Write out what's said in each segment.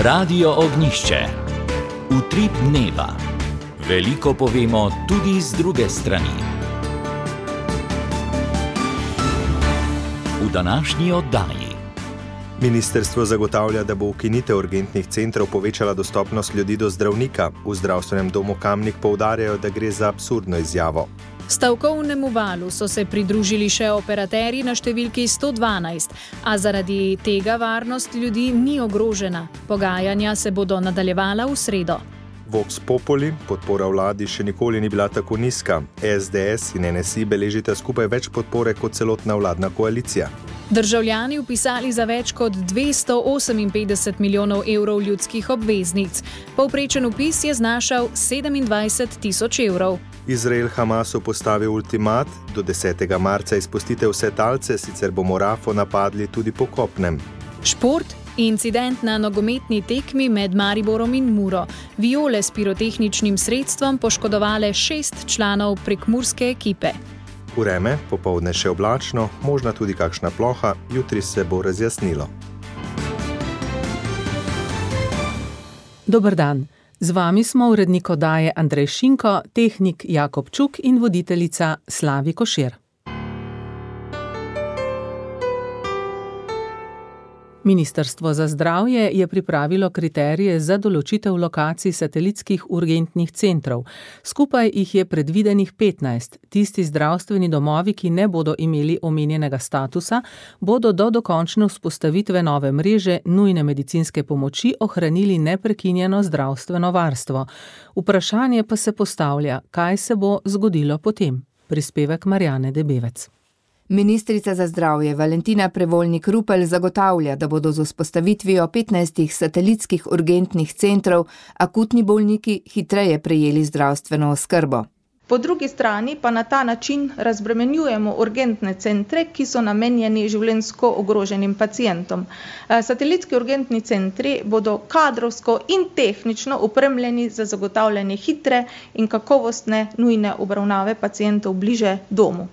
Radio Ognjišče. Utrip dneva. Veliko povemo tudi z druge strani. V današnji oddaji. Ministrstvo zagotavlja, da bo ukinitev urgentnih centrov povečala dostopnost ljudi do zdravnika. V zdravstvenem domu Kamnik poudarjajo, da gre za absurdno izjavo. Stavkovnemu valu so se pridružili še operaterji na številki 112, a zaradi tega varnost ljudi ni ogrožena. Pogajanja se bodo nadaljevala v sredo. Vox Populi, podpora vladi še nikoli ni bila tako nizka. SDS in NSI beležita skupaj več podpore kot celotna vladna koalicija. Državljani vpisali za več kot 258 milijonov evrov ljudskih obveznic. Povprečen vpis je znašal 27 tisoč evrov. Izrael Hamasu postavil ultimat, do 10. marca izpustite vse talce, sicer bomo Rafo napadli tudi po kopnem. Šport. Incident na nogometni tekmi med Mariborom in Muro. Viole s pirotehničnim sredstvom poškodovale 6 članov prekmurske ekipe. Vreme, popoldne še oblačno, možna tudi kakšna ploha, jutri se bo razjasnilo. Dober dan. Z vami smo urednik oddaje Andrej Šinko, tehnik Jakob Čuk in voditeljica Slavi Košir. Ministrstvo za zdravje je pripravilo kriterije za določitev lokacij satelitskih urgentnih centrov. Skupaj jih je predvidenih 15. Tisti zdravstveni domovi, ki ne bodo imeli omenjenega statusa, bodo do dokončne vzpostavitve nove mreže nujne medicinske pomoči ohranili neprekinjeno zdravstveno varstvo. Vprašanje pa se postavlja, kaj se bo zgodilo potem. Prispevek Marjane Debevec. Ministrica za zdravje Valentina Prevolnik Rupel zagotavlja, da bodo z vzpostavitvijo 15 satelitskih urgentnih centrov akutni bolniki hitreje prejeli zdravstveno oskrbo. Po drugi strani pa na ta način razbremenjujemo urgentne centre, ki so namenjeni življenjsko ogroženim pacientom. Satelitski urgentni centri bodo kadrovsko in tehnično opremljeni za zagotavljanje hitre in kakovostne nujne obravnave pacientov bliže domu.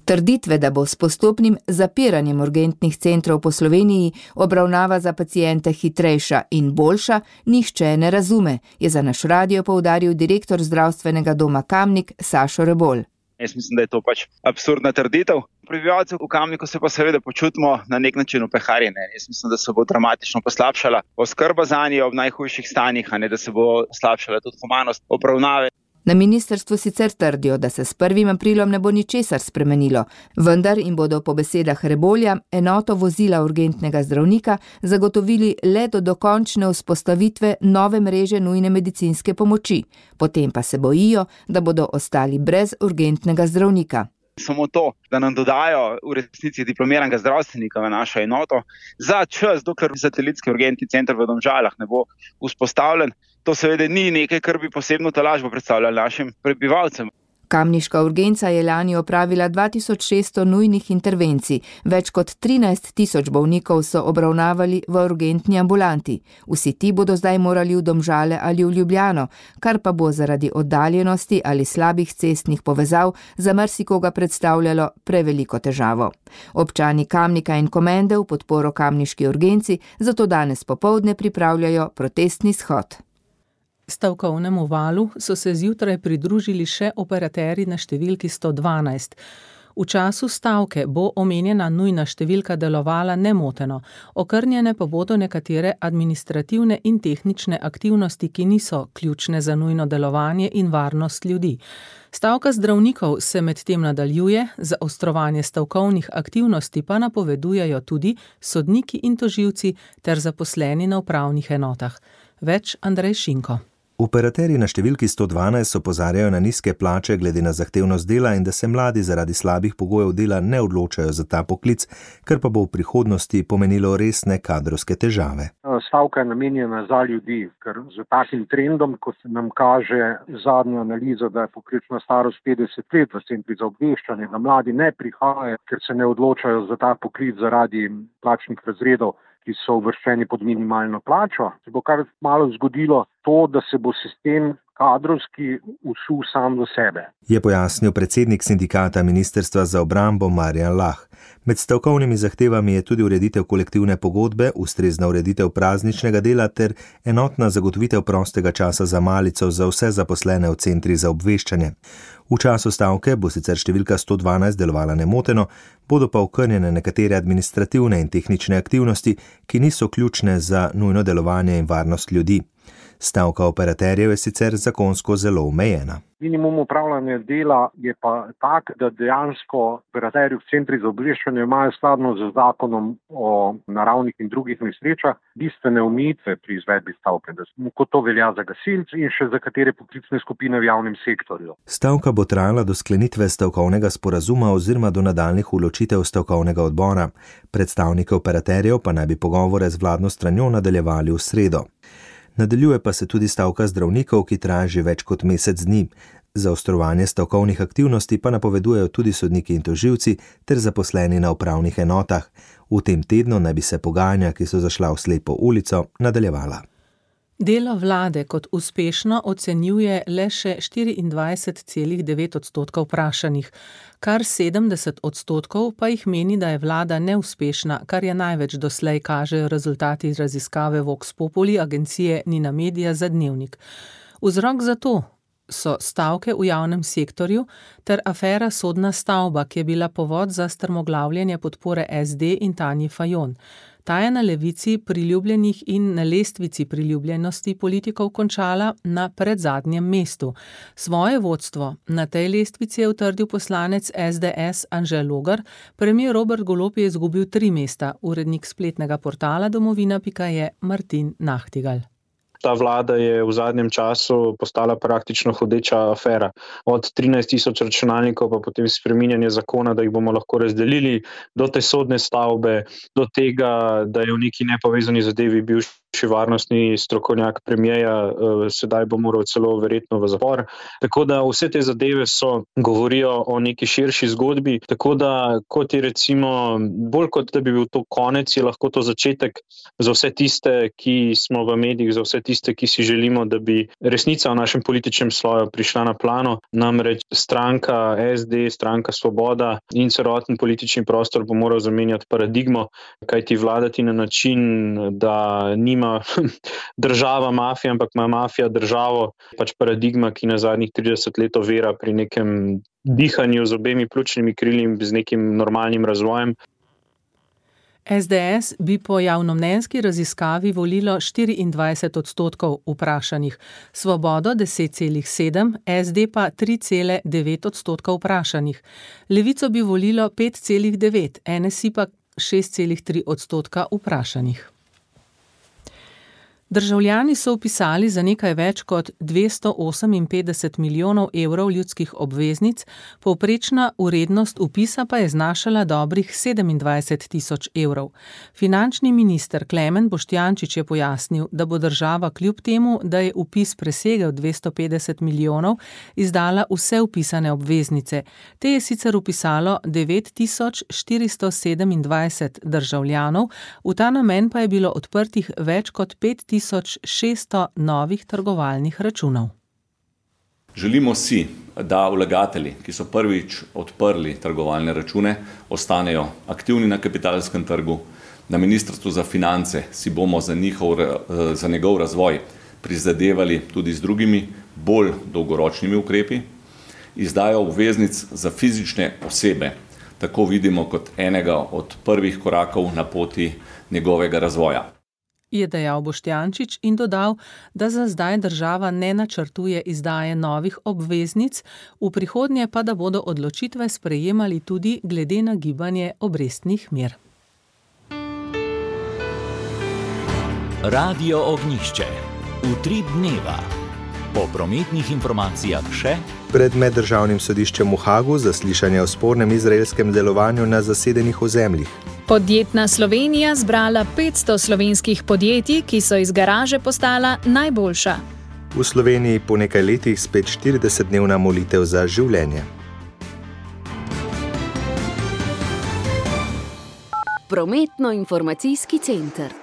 Trditve, da bo s postopnim zapiranjem urgentnih centrov po Sloveniji obravnava za paciente hitrejša in boljša, nihče ne razume, je za naš radio poudaril direktor zdravstvenega doma Kamnik Sašo Rebolj. Jaz mislim, da je to absurdna trditev. Prebivalci v Kamniku se pa seveda počutimo na nek način upeharjene. Jaz mislim, da se bo dramatično poslabšala oskrba zanje ob najhujših stanjih, a ne da se bo slabšala tudi humanost obravnave. Na ministrstvu sicer trdijo, da se s 1. aprilom ne bo ničesar spremenilo, vendar jim bodo po besedah Rebolja enoto vozila urgentnega zdravnika zagotovili le do dokončne vzpostavitve nove mreže nujne medicinske pomoči. Potem pa se bojijo, da bodo ostali brez urgentnega zdravnika. Samo to, da nam dodajo v resnici diplomiranega zdravstvenika v našo enoto za čas, dokler satelitski urgentni center v Domžalah ne bo vzpostavljen, to seveda ni nekaj, kar bi posebno tolažbo predstavljali našim prebivalcem. Kamniška urgenca je lani opravila 2600 nujnih intervencij, več kot 13 tisoč bolnikov so obravnavali v urgentni ambulanti. Vsi ti bodo zdaj morali v Domžale ali v Ljubljano, kar pa bo zaradi oddaljenosti ali slabih cestnih povezav za marsikoga predstavljalo preveliko težavo. Občani Kamnika in Komende v podporo kamniški urgenci zato danes popoldne pripravljajo protestni shod. Stavkovnemu valu so se zjutraj pridružili še operaterji na številki 112. V času stavke bo omenjena nujna številka delovala nemoteno, okrnjene pa bodo nekatere administrativne in tehnične aktivnosti, ki niso ključne za nujno delovanje in varnost ljudi. Stavka zdravnikov se medtem nadaljuje, zaostrovanje stavkovnih aktivnosti pa napovedujejo tudi sodniki in tožilci ter zaposleni na upravnih enotah. Več Andrej Šinko. Operaterji na številki 112 opozarjajo na nizke plače glede na zahtevnost dela in da se mladi zaradi slabih pogojev dela ne odločajo za ta poklic, kar pa bo v prihodnosti pomenilo resne kadrovske težave. Stavka je namenjena za ljudi, ker z takim trendom, kot nam kaže zadnja analiza, da je povprečna starost 50 let v centrih za obveščanje, da mladi ne prihajajo, ker se ne odločajo za ta poklic zaradi plačnih razredov, ki so uvrščeni pod minimalno plačo. Se bo kar malo zgodilo to, da se bo sistem kadrovski usul sam do sebe. Je pojasnil predsednik sindikata Ministrstva za obrambo Marjan Lah. Med stavkovnimi zahtevami je tudi ureditev kolektivne pogodbe, ustrezna ureditev prazničnega dela ter enotna zagotovitev prostega časa za malico za vse zaposlene v centrih za obveščanje. V času stavke bo sicer številka 112 delovala nemoteno, bodo pa okrnjene nekatere administrativne in tehnične aktivnosti, ki niso ključne za nujno delovanje in varnost ljudi. Stavka operaterjev je sicer zakonsko zelo omejena. Minimum upravljanja dela je pa tak, da dejansko operaterji v centri za obveščanje imajo skladno z zakonom o naravnih in drugih nesrečah bistvene omejitve pri izvedbi stavke, kot to velja za gasilce in še za katere poklicne skupine v javnem sektorju. Stavka bo trajala do sklenitve stavkovnega sporazuma oziroma do nadaljnjih odločitev stavkovnega odbora. Predstavniki operaterjev pa naj bi pogovore z vladno stranjo nadaljevali v sredo. Nadaljuje pa se tudi stavka zdravnikov, ki traja že več kot mesec dni. Zaostrovanje stavkovnih aktivnosti pa napovedujejo tudi sodniki in tožilci ter zaposleni na upravnih enotah. V tem tednu naj bi se pogajanja, ki so zašla v slepo ulico, nadaljevala. Delo vlade kot uspešno ocenjuje le še 24,9% vprašanih. Kar 70% pa jih meni, da je vlada neuspešna, kar je največ doslej kažejo rezultati raziskave Vox Populi agencije Nina Media za Dnevnik. Vzrok za to so stavke v javnem sektorju ter afera Sodna stavba, ki je bila povod za strmoglavljanje podpore SD in Tanji Fajon. Ta je na levici priljubljenih in na lestvici priljubljenosti politikov končala na predzadnjem mestu. Svoje vodstvo na tej lestvici je utrdil poslanec SDS Anže Logar, premier Robert Golob je izgubil 3 mesta, urednik spletnega portala domovina.je Martin Nahtigal. Ta vlada je v zadnjem času postala praktično hodeča afera. Od 13,000 računalnikov pa potem spreminjanje zakona, da jih bomo lahko razdelili, do te sodne stavbe, do tega, da je v neki nepovezani zadevi bivši varnostni strokovnjak premierja, sedaj bo moral celo verjetno v zapor. Tako da vse te zadeve govorijo o neki širši zgodbi, tako da kot je recimo, bolj kot da bi bil to konec, je lahko to začetek za vse tiste, ki smo v medijih, za vse tiste, ki si želimo, da bi resnica v našem političnem sloju prišla na plano. Namreč stranka SD, stranka Svoboda in celoten politični prostor bo moral zamenjati paradigmo, kajti vladati na način, da nima država mafija, ampak ima mafija državo, pač paradigma, ki na zadnjih 30 let ovira pri nekem dihanju z obemi pljučnimi krili in z nekim normalnim razvojem. SDS bi po javnomnenjski raziskavi volilo 24% vprašanih, Svobodo 10,7%, SD pa 3,9% vprašanih. Levico bi volilo 5,9%, NSI pa 6,3% vprašanih. Državljani so vpisali za nekaj več kot 258 milijonov evrov ljudskih obveznic, povprečna vrednost vpisa pa je znašala dobrih 27 tisoč evrov. Finančni minister Klemen Boštjančič je pojasnil, da bo država kljub temu, da je vpis presegel 250 milijonov, izdala vse vpisane obveznice. Te je sicer vpisalo 9427 državljanov, v ta namen pa je bilo odprtih več kot 5600 novih trgovalnih računov. Želimo si, da vlagatelji, ki so prvič odprli trgovalne račune, ostanejo aktivni na kapitalskem trgu. Na Ministrstvu za finance si bomo za njegov razvoj prizadevali tudi z drugimi, bolj dolgoročnimi ukrepi. Izdajo obveznic za fizične osebe tako vidimo kot enega od prvih korakov na poti njegovega razvoja. Je dejal Boštjančič in dodal, da za zdaj država ne načrtuje izdaje novih obveznic, v prihodnje pa da bodo odločitve sprejemali tudi glede na gibanje obrestnih mer. Radio Ognjišče. Utrip dneva. Po prometnih informacijah še. Pred meddržavnim sodiščem v Hagu zaslišanje o spornem izraelskem delovanju na zasedenih ozemljih. Podjetna Slovenija zbrala 500 slovenskih podjetij, ki so iz garaže postala najboljša. V Sloveniji po nekaj letih spet 40-dnevna molitev za življenje. Prometno-informacijski center.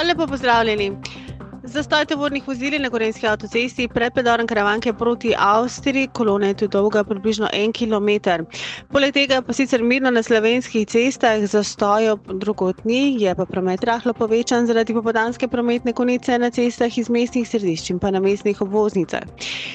Lepo pozdravljeni. Zastoj tovornih vozil na Gorenjski avtocesti pred predorom Karavanke proti Avstriji, kolona je tu dolga približno 1 kilometer. Poleg tega pa sicer mirno na slovenskih cestah, zastojev drugod ni, je pa promet rahlo povečan zaradi popoldanske prometne konice na cestah iz mestnih središč in pa na mestnih obvoznicah.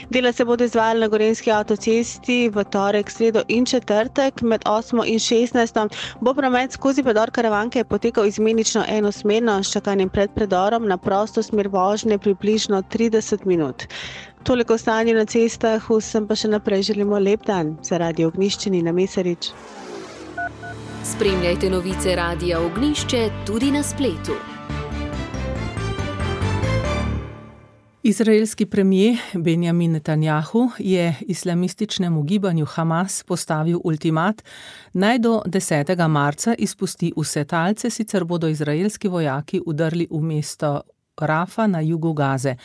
Dela se bodo izvajali na Gorenjski avtocesti v torek, sredo in četrtek. Med 8 in 16 bo promet skozi predor Karavanke potekal izmenično enosmerno s čakanjem pred predorom na prosto smer vožnje približno 30 minut. Toliko stanje na cestah, vsem pa še naprej želimo lep dan. Za Radio Ognjišče Nina Mesarič. Spremljajte novice Radia Ognjišče tudi na spletu. Izraelski premijer Benjamin Netanjahu je islamističnemu gibanju Hamas postavil ultimat, naj do 10. marca izpusti vse talce, sicer bodo izraelski vojaki udrli v mesto Rafa na jugu Gaze.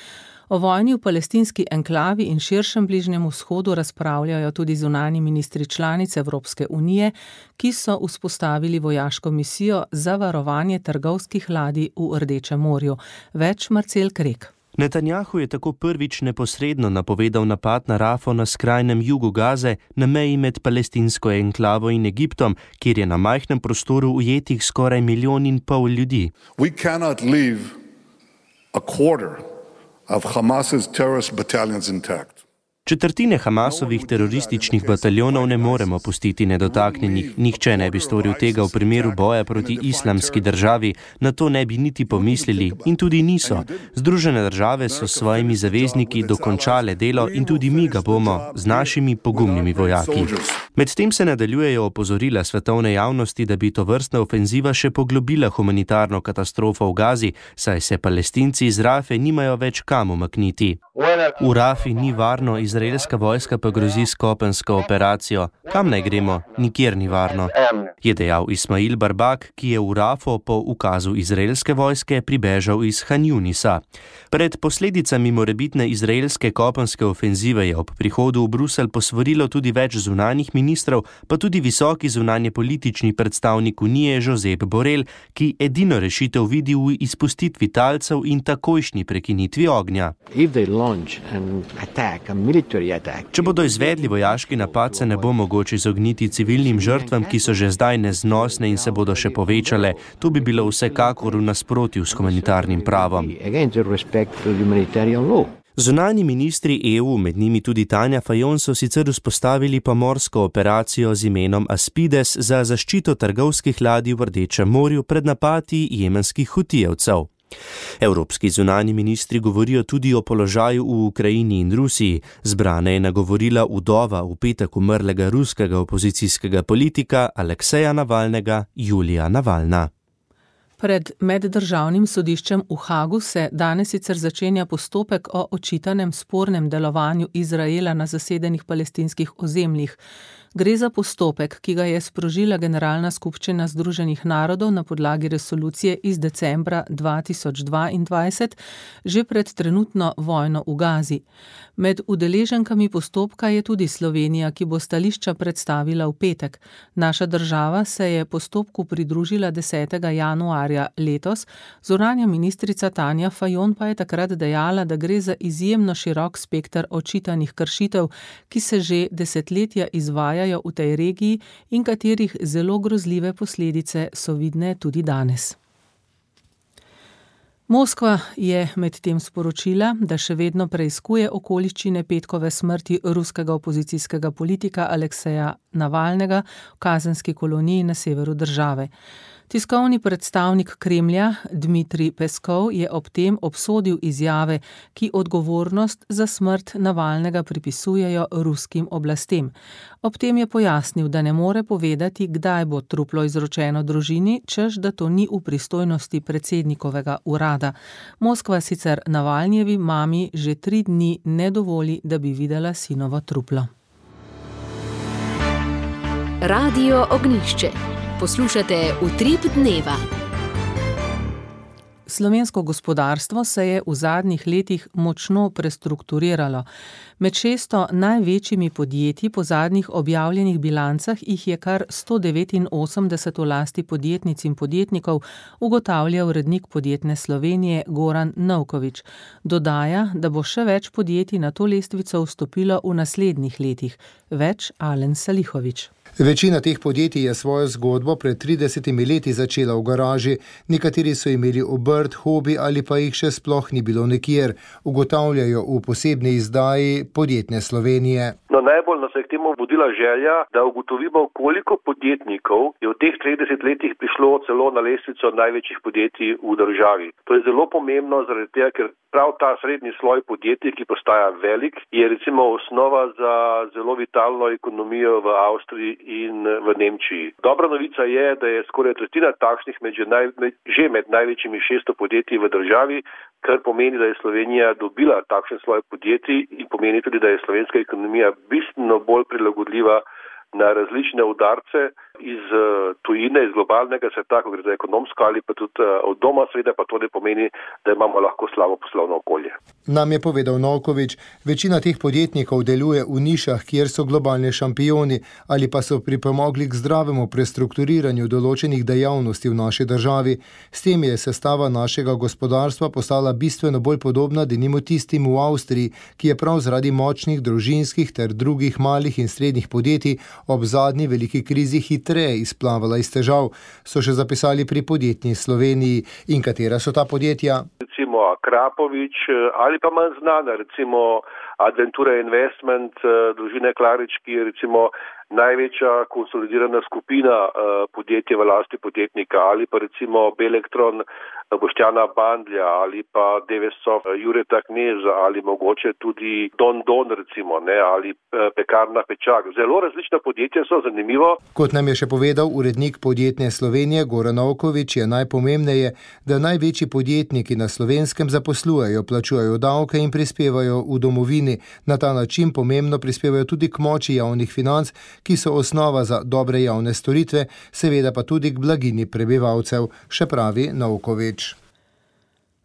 O vojni v palestinski enklavi in širšem Bližnjem vzhodu razpravljajo tudi zunanji ministri članic Evropske unije, ki so vzpostavili vojaško misijo za varovanje trgovskih ladij v Rdečem morju. Več Marcel Krek. Netanjahu je tako prvič neposredno napovedal napad na Rafo na skrajnem jugu Gaze, na meji med palestinsko enklavo in Egiptom, kjer je na majhnem prostoru ujetih skoraj 1,5 milijona ljudi. We cannot leave a quarter of Hamas's terrorist battalions intact. Četrtine Hamasovih terorističnih bataljonov ne moremo pustiti nedotaknjenih. Nihče ne bi storil tega v primeru boja proti islamski državi, na to ne bi niti pomislili in tudi niso. Združene države so s svojimi zavezniki dokončale delo in tudi mi ga bomo z našimi pogumnimi vojaki. Medtem se nadaljujejo opozorila svetovne javnosti, da bi tovrstna ofenziva še poglobila humanitarno katastrofo v Gazi, saj se Palestinci iz Rafe nimajo več kam umakniti. V Rafi ni varno, izraelska vojska pa grozi s kopensko operacijo. Kam naj gremo? Nikjer ni varno, je dejal Ismail Barbak, ki je v Rafo po ukazu izraelske vojske pribežal iz Han Junisa. Pred posledicami morebitne izraelske kopenske ofenzive je ob prihodu v Bruselj posvarilo tudi več zunanjih ministrov, pa tudi visoki zunanjepolitični predstavnik Unije Josep Borrell, ki edino rešitev vidi v izpustitvi talcev in takojšnji prekinitvi ognja. Če bodo izvedli vojaški napad, se ne bo mogoče izogniti civilnim žrtvam, ki so že zdaj neznosne in se bodo še povečale. To bi bilo vsekakor v nasprotju s humanitarnim pravom. Zunanji ministri EU, med njimi tudi Tanja Fajon, so sicer vzpostavili pomorsko operacijo z imenom Aspides za zaščito trgovskih ladij v Rdečem morju pred napadi jemenskih hutijevcev. Evropski zunanji ministri govorijo tudi o položaju v Ukrajini in Rusiji. Zbrane je nagovorila vdova v petek umrlega ruskega opozicijskega politika Alekseja Navalnega, Julija Navalna. Pred meddržavnim sodiščem v Hagu se danes sicer začenja postopek o očitanem spornem delovanju Izraela na zasedenih palestinskih ozemljih. Gre za postopek, ki ga je sprožila Generalna skupščina Združenih narodov na podlagi resolucije iz decembra 2022, že pred trenutno vojno v Gazi. Med udeleženkami postopka je tudi Slovenija, ki bo stališča predstavila v petek. Naša država se je postopku pridružila 10. januarja letos, zunanja ministrica Tanja Fajon pa je takrat dejala, da gre za izjemno širok spekter očitanih kršitev, ki se že desetletja izvajajo v tej regiji in katerih zelo grozljive posledice so vidne tudi danes. Moskva je medtem sporočila, da še vedno preiskuje okoliščine petkove smrti ruskega opozicijskega politika Alekseja Navalnega v kazenski koloniji na severu države. Tiskovni predstavnik Kremlja Dmitrij Peskov je ob tem obsodil izjave, ki odgovornost za smrt Navalnega pripisujejo ruskim oblastem. Ob tem je pojasnil, da ne more povedati, kdaj bo truplo izročeno družini, češ da to ni v pristojnosti predsednikovega urada. Moskva sicer Navalnjevi mami že 3 dni ne dovoli, da bi videla sinovo truplo. Radio Ognjišče. Poslušate Utrip dneva. Slovensko gospodarstvo se je v zadnjih letih močno prestrukturiralo. Med 600 največjimi podjetji po zadnjih objavljenih bilancah jih je kar 189 v lasti podjetnic in podjetnikov, ugotavlja urednik Podjetne Slovenije Goran Novkovič. Dodaja, da bo še več podjetij na to lestvico vstopilo v naslednjih letih. Več Alen Salihovič. Večina teh podjetij je svojo zgodbo pred 30 leti začela v garaži, nekateri so imeli obrt, hobi ali pa jih še sploh ni bilo nikjer, ugotavljajo v posebni izdaji Podjetne Slovenije. No, najbolj nas je k temu vodila želja, da ugotovimo, koliko podjetnikov je v teh 30 letih prišlo celo na lestvico največjih podjetij v državi. To je zelo pomembno, zaradi tega, ker prav ta srednji sloj podjetij, ki postaja velik, je recimo osnova za zelo vitalno ekonomijo v Avstriji in v Nemčiji. Dobra novica je, da je skoraj tretjina takšnih že med največjimi 600 podjetij v državi, kar pomeni, da je Slovenija dobila takšen sloj podjetij in pomeni tudi, da je slovenska ekonomija bistveno bolj prilagodljiva na različne udarce iz tujine, iz globalnega sveta, ko gre za ekonomsko ali pa tudi od doma, seveda pa to ne pomeni, da imamo lahko slabo poslovno okolje. Nam je povedal Novkovič, večina teh podjetnikov deluje v nišah, kjer so globalni šampioni ali pa so pripomogli k zdravemu prestrukturiranju določenih dejavnosti v naši državi. S tem je sestava našega gospodarstva postala bistveno bolj podobna denimo tistim v Avstriji, ki je prav zaradi močnih družinskih ter drugih malih in srednjih podjetij ob zadnji veliki krizi hitreje izplavala iz težav, so še zapisali pri Podjetni Sloveniji. In katera so ta podjetja? Recimo Krapovič ali pa manj znana, recimo Adventura Investment, družine Klarič, ki je recimo največja konsolidirana skupina podjetja v lasti podjetnika, ali pa recimo Belektron Boštjana Bandlja, ali pa Devesov Jureta Kneza, ali mogoče tudi Don recimo, ne, ali Pekarna Pečak. Zelo različna podjetja so, zanimivo. Kot nam je še povedal urednik Podjetne Slovenije Goran Novkovič, je najpomembneje, da največji podjetniki na Slovenskem zaposlujejo, plačujejo davke in prispevajo v domovini. Na ta način pomembno prispevajo tudi k moči javnih financ, ki so osnova za dobre javne storitve, seveda pa tudi k blagini prebivalcev, še pravi Novkovič.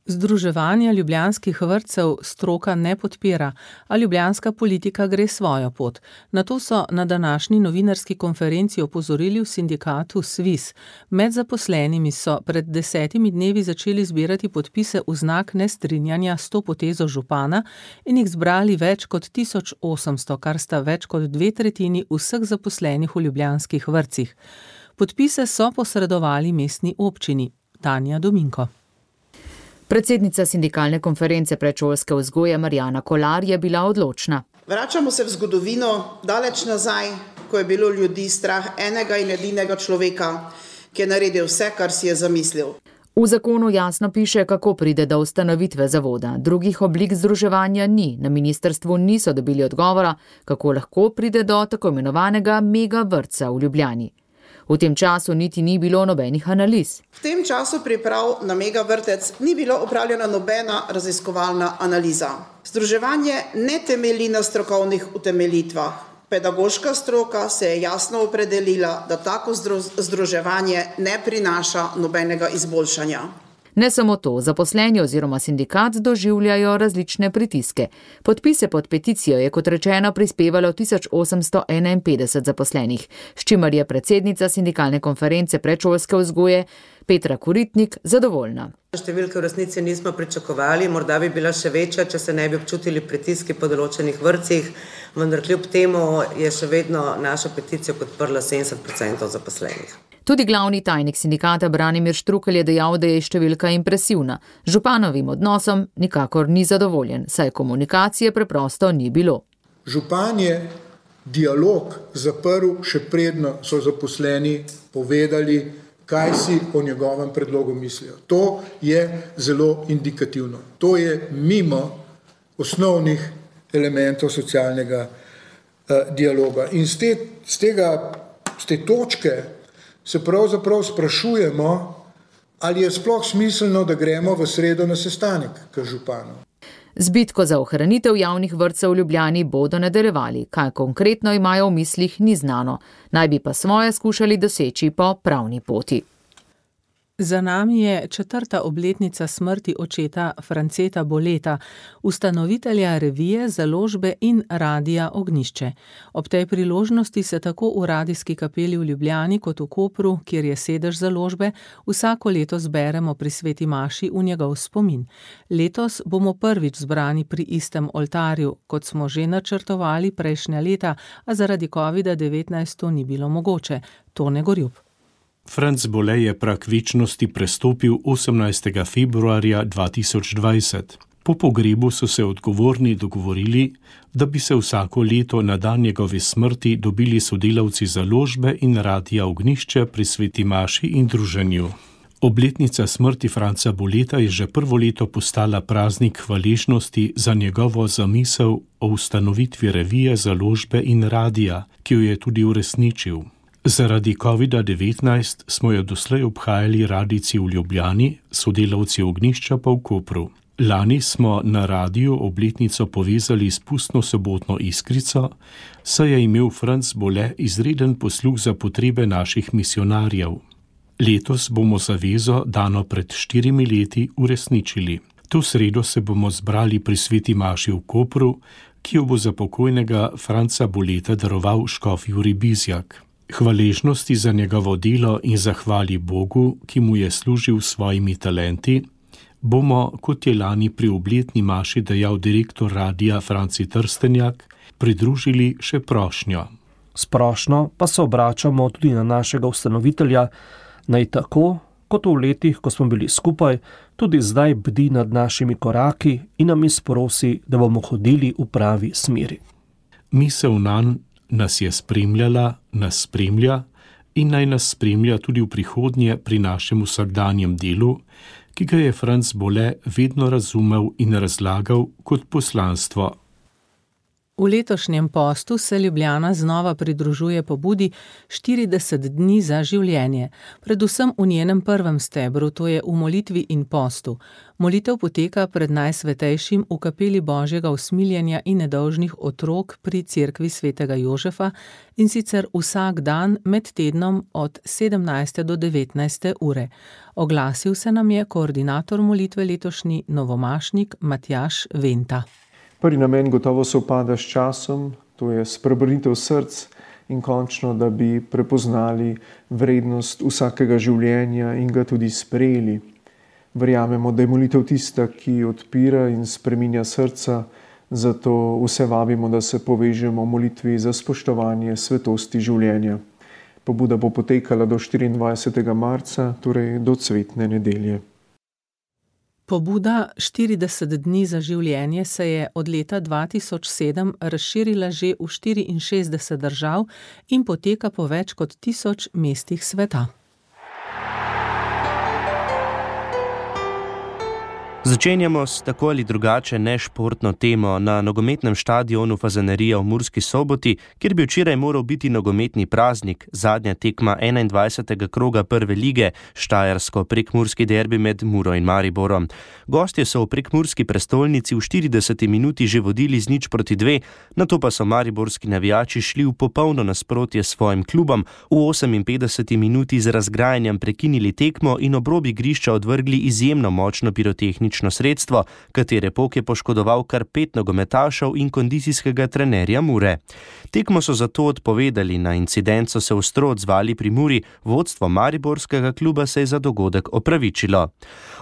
Združevanja ljubljanskih vrtcev stroka ne podpira, a ljubljanska politika gre svojo pot. Na to so na današnji novinarski konferenci opozorili v sindikatu SVIS. Med zaposlenimi so pred 10 dnevi začeli zbirati podpise v znak nestrinjanja s to potezo župana in jih zbrali več kot 1800, kar sta več kot 2/3 vseh zaposlenih v ljubljanskih vrtcih. Podpise so posredovali mestni občini. Tanja Dominko. Predsednica sindikalne konference predšolske vzgoje Marjana Kolar je bila odločna. Vračamo se v zgodovino, daleč nazaj, ko je bilo ljudi strah enega in edinega človeka, ki je naredil vse, kar si je zamislil. V zakonu jasno piše, kako pride do ustanovitve zavoda. Drugih oblik združevanja ni. Na ministrstvu niso dobili odgovora, kako lahko pride do tako imenovanega mega vrtca v Ljubljani. V tem času niti ni bilo nobenih analiz. V tem času priprav na mega vrtec ni bilo opravljena nobena raziskovalna analiza. Združevanje ne temelji na strokovnih utemeljitvah. Pedagoška stroka se je jasno opredelila, da tako združevanje ne prinaša nobenega izboljšanja. Ne samo to, zaposleni oziroma sindikat doživljajo različne pritiske. Podpise pod peticijo je kot rečeno prispevalo 1851 zaposlenih, s čimer je predsednica sindikalne konference predšolske vzgoje Petra Koritnik zadovoljna. Številke v resnici nismo pričakovali, morda bi bila še večja, če se ne bi občutili pritiski po določenih vrtcih, vendar kljub temu je še vedno našo peticijo podprlo 70% zaposlenih. Tudi glavni tajnik sindikata Branimir Štrukelj je dejal, da je številka impresivna. Županovim odnosom nikakor ni zadovoljen, saj komunikacije preprosto ni bilo. Župan je dialog zaprl, še predno so zaposleni povedali, kaj si o njegovem predlogu mislijo. To je zelo indikativno. To je mimo osnovnih elementov socialnega dialoga. In z te točke se pravzaprav sprašujemo, ali je sploh smiselno, da gremo v sredo na sestanek k županu. Z bitko za ohranitev javnih vrtcev v Ljubljani bodo nadaljevali. Kaj konkretno imajo v mislih, ni znano. Naj bi pa svoje skušali doseči po pravni poti. Za nami je 4. obletnica smrti očeta Franceta Boleta, ustanovitelja revije, založbe in Radia Ognjišče. Ob tej priložnosti se tako v Radijski kapeli v Ljubljani kot v Kopru, kjer je sedež založbe, vsako leto zberemo pri sveti maši v njegov spomin. Letos bomo prvič zbrani pri istem oltarju, kot smo že načrtovali prejšnja leta, a zaradi COVID-19 to ni bilo mogoče. Tone Gorjup. Franc Bole je prag večnosti prestopil 18. februarja 2020. Po pogrebu so se odgovorni dogovorili, da bi se vsako leto na dan njegove smrti dobili sodelavci založbe in Radia Ognjišče pri sveti maši in druženju. Obletnica smrti Franca Boleta je že prvo leto postala praznik hvaležnosti za njegovo zamisel o ustanovitvi revije, založbe in radija, ki jo je tudi uresničil. Zaradi COVID-19 smo jo doslej obhajali radijci v Ljubljani, sodelavci Ognjišča pa v Kopru. Lani smo na radiju obletnico povezali s pustno sobotno iskrico, saj je imel Franc Bole izreden posluh za potrebe naših misionarjev. Letos bomo zavezo, dano pred 4 leti, uresničili. To sredo se bomo zbrali pri sveti maši v Kopru, ki jo bo za pokojnega Franca Boleta daroval škof Jurij Bizjak. Hvaležnosti za njegovo delo in zahvali Bogu, ki mu je služil s svojimi talenti, bomo, kot je lani pri obletni maši dejal direktor radija Franci Trstenjak, pridružili še prošnjo. Splošno pa se obračamo tudi na našega ustanovitelja, naj tako, kot v letih, ko smo bili skupaj, tudi zdaj bdi nad našimi koraki in nam izprosi, da bomo hodili v pravi smeri. Misel nanj nas je spremljala, nas spremlja in naj nas spremlja tudi v prihodnje pri našem vsakdanjem delu, ki ga je Franc Bole vedno razumel in razlagal kot poslanstvo. V letošnjem postu se Ljubljana znova pridružuje pobudi 40 dni za življenje, predvsem v njenem prvem stebru, to je v molitvi in postu. Molitev poteka pred Najsvetejšim v kapeli Božjega usmiljenja in nedolžnih otrok pri cerkvi svetega Jožefa, in sicer vsak dan med tednom od 17. do 19. ure. Oglasil se nam je koordinator molitve letošnji novomašnik Matjaž Venta. Prvi namen gotovo sovpada s časom, to je spreobrnitev src in končno, da bi prepoznali vrednost vsakega življenja in ga tudi sprejeli. Verjamemo, da je molitev tista, ki odpira in spreminja srca, zato vse vabimo, da se povežemo v molitvi za spoštovanje svetosti življenja. Pobuda bo potekala do 24. marca, torej do cvetne nedelje. Pobuda 40 dni za življenje se je od leta 2007 razširila že v 64 držav in poteka po več kot 1000 mestih sveta. Začenjamo s tako ali drugače nešportno temo na nogometnem štadionu Fazanerija v Murski Soboti, kjer bi včeraj moral biti nogometni praznik, zadnja tekma 21. kroga prve lige, štajersko-prekmurski derbi med Muro in Mariborom. Gostje so v prekmurski prestolnici v 40 minuti že vodili z 0-2, nato pa so mariborski navijači šli v popolno nasprotje s svojim klubom, v 58 minuti z razgrajanjem prekinili tekmo in ob rob igrišča odvrgli izjemno močno pirotehnično sredstvo, katere pok je poškodoval kar 5 nogometašev in kondicijskega trenerja Mure. Tekmo so zato odpovedali, na incident so se ostro odzvali pri Muri, vodstvo mariborskega kluba se je za dogodek opravičilo.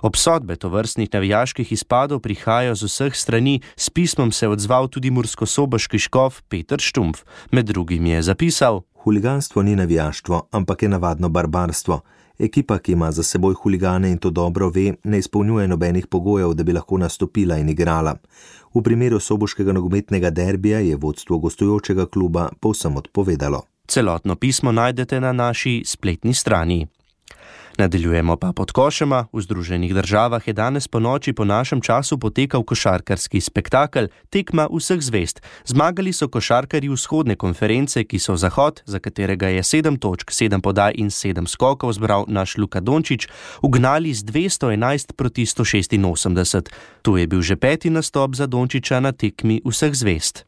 Obsodbe tovrstnih navijaških izpadov prihajajo z vseh strani, s pismom se je odzval tudi murskosoboški škof Peter Štumpf. Med drugim je zapisal: Huliganstvo ni navijaštvo, ampak je navadno barbarstvo. Ekipa, ki ima za seboj huligane in to dobro ve, ne izpolnjuje nobenih pogojev, da bi lahko nastopila in igrala. V primeru soboškega nogometnega derbija je vodstvo gostujočega kluba povsem odpovedalo. Celotno pismo najdete na naši spletni strani. Nadaljujemo pa pod košema. V Združenih državah je danes po noči po našem času potekal košarkarski spektakel Tekma vseh zvezd. Zmagali so košarkarji vzhodne konference, ki so Zahod, za katerega je 7 točk, 7 podaj in 7 skokov zbral naš Luka Dončić, ugnali z 211 proti 186. To je bil že 5. nastop za Dončića na tekmi vseh zvezd.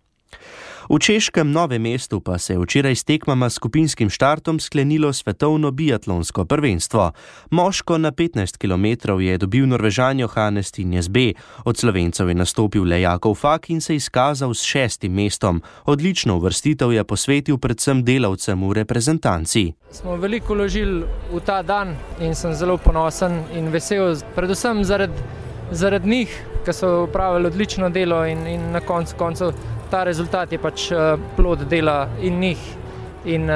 V češkem Novem mestu pa se je včeraj s tekmama s skupinskim štartom sklenilo svetovno biatlonsko prvenstvo. Moško na 15 km je dobil Norvežan Johannes Tinjes B. Od Slovencev je nastopil le Jakov Fak in se izkazal s 6. mestom. Odlično uvrstitev je posvetil predvsem delavcem v reprezentanci. Smo veliko vložili v ta dan in sem zelo ponosen in vesel, predvsem zaradi njih, ki so upravili odlično delo in na koncu ta rezultat je pač plod dela in njih in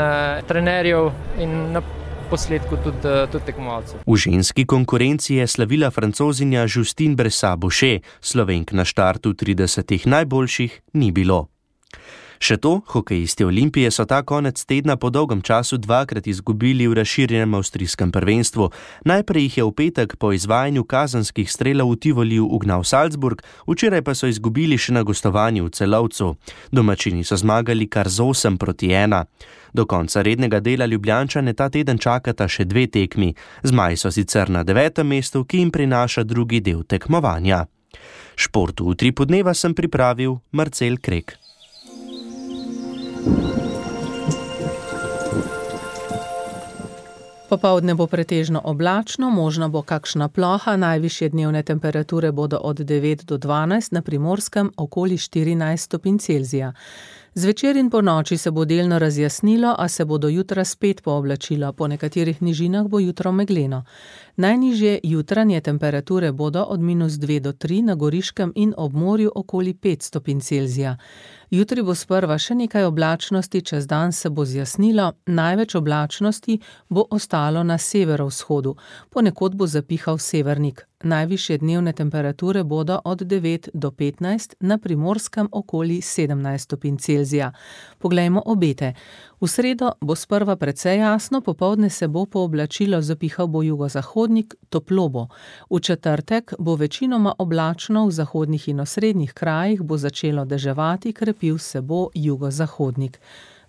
trenerjev in na posledku tudi tekmovalcev. V ženski konkurenci je slavila Francozinja Justine Bressat-Boucher, Slovenk na štartu 30 najboljših ni bilo. Še to, hokejisti Olimpije so ta konec tedna po dolgem času dvakrat izgubili v razširjenem avstrijskem prvenstvu. Najprej jih je v petek po izvajanju kazenskih strelov v Tivoliju ugnal Salzburg, včeraj pa so izgubili še na gostovanju v Celovcu. Domačini so zmagali kar z 8-1. Do konca rednega dela Ljubljančane ta teden čakata še 2 tekmi. Zmaji so sicer na 9. mestu, ki jim prinaša drugi del tekmovanja. Športu v Utripu dneva sem pripravil Marcel Krek. Popoldne bo pretežno oblačno, možno bo kakšna ploha, najvišje dnevne temperature bodo od 9 do 12, na Primorskem okoli 14 stopinj Celzija. Zvečer in po noči se bo delno razjasnilo, a se bo do jutra spet pooblačilo, po nekaterih nižinah bo jutro megleno. Najnižje jutranje temperature bodo od -2 do 3, na Goriškem in ob morju okoli 5 stopinj Celzija. Jutri bo sprva še nekaj oblačnosti, čez dan se bo zjasnilo, največ oblačnosti bo ostalo na severovzhodu, ponekod bo zapihal severnik. Najvišje dnevne temperature bodo od 9 do 15, na Primorskem okoli 17 stopinj Celzija. Poglejmo obete. V sredo bo sprva precej jasno, popoldne se bo pooblačilo, zapihal bo jugozahodnik, toplo bo. V četrtek bo večinoma oblačno, v zahodnih in osrednjih krajih bo začelo deževati, krepil se bo jugozahodnik.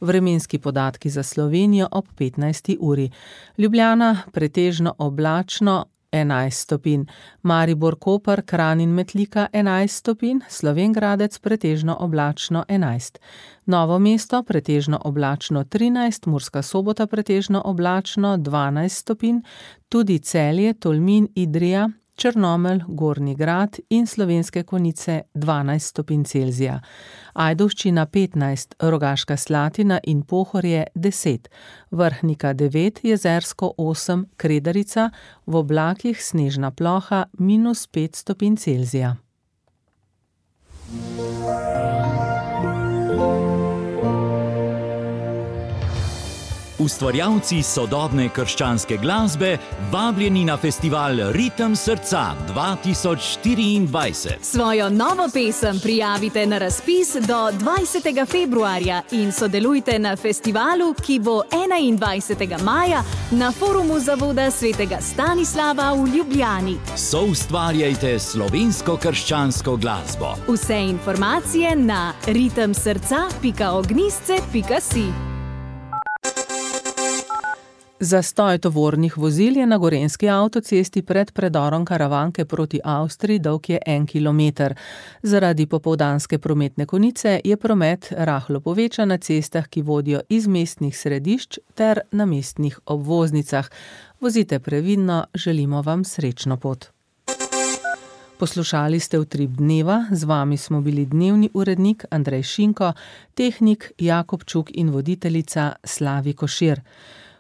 Vremenski podatki za Slovenijo ob 15. uri. Ljubljana pretežno oblačno 11 stopinj, Maribor, Koper, Kranj in Metlika 11 stopinj, Slovenj Gradec pretežno oblačno 11. Novo mesto pretežno oblačno 13, Murska Sobota pretežno oblačno 12 stopinj, tudi Celje, Tolmin, Idrija, Črnomelj, Gornji Grad in Slovenske Konjice 12 stopinj Celzija. Ajdovščina 15, Rogaška Slatina in Pohorje 10, Vrhnika 9, Jezersko 8, Kredarica, v oblakih snežna ploha -5 stopinj Celzija. Ustvarjalci sodobne krščanske glasbe vabljeni na festival Ritem srca 2024. Svojo novo pesem prijavite na razpis do 20. februarja in sodelujte na festivalu, ki bo 21. maja na forumu Zavoda svetega Stanislava v Ljubljani. Soustvarjajte slovensko krščansko glasbo. Vse informacije na ritemsrca.ognistce.si. Zastoj tovornih vozil je na gorenjski avtocesti pred predorom Karavanke proti Avstriji, dolg je 1 kilometer. Zaradi popoldanske prometne konice je promet rahlo povečan na cestah, ki vodijo iz mestnih središč ter na mestnih obvoznicah. Vozite previdno, želimo vam srečno pot. Poslušali ste Utrip dneva, z vami smo bili dnevni urednik Andrej Šinko, tehnik Jakob Čuk in voditeljica Slavi Košir.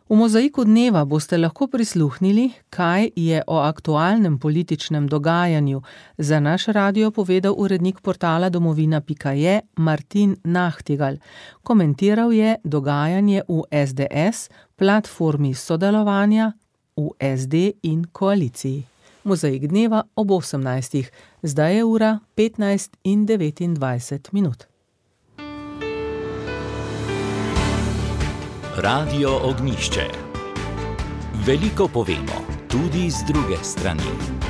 V Mozaiku dneva boste lahko prisluhnili, kaj je o aktualnem političnem dogajanju za naš radio povedal urednik portala domovina.je Martin Nahtigal. Komentiral je dogajanje v SDS, platformi sodelovanja v SD in koaliciji. Mozaik dneva ob 18. Zdaj je ura 15:29. Radio Ognjišče. Veliko povemo, tudi z druge strani.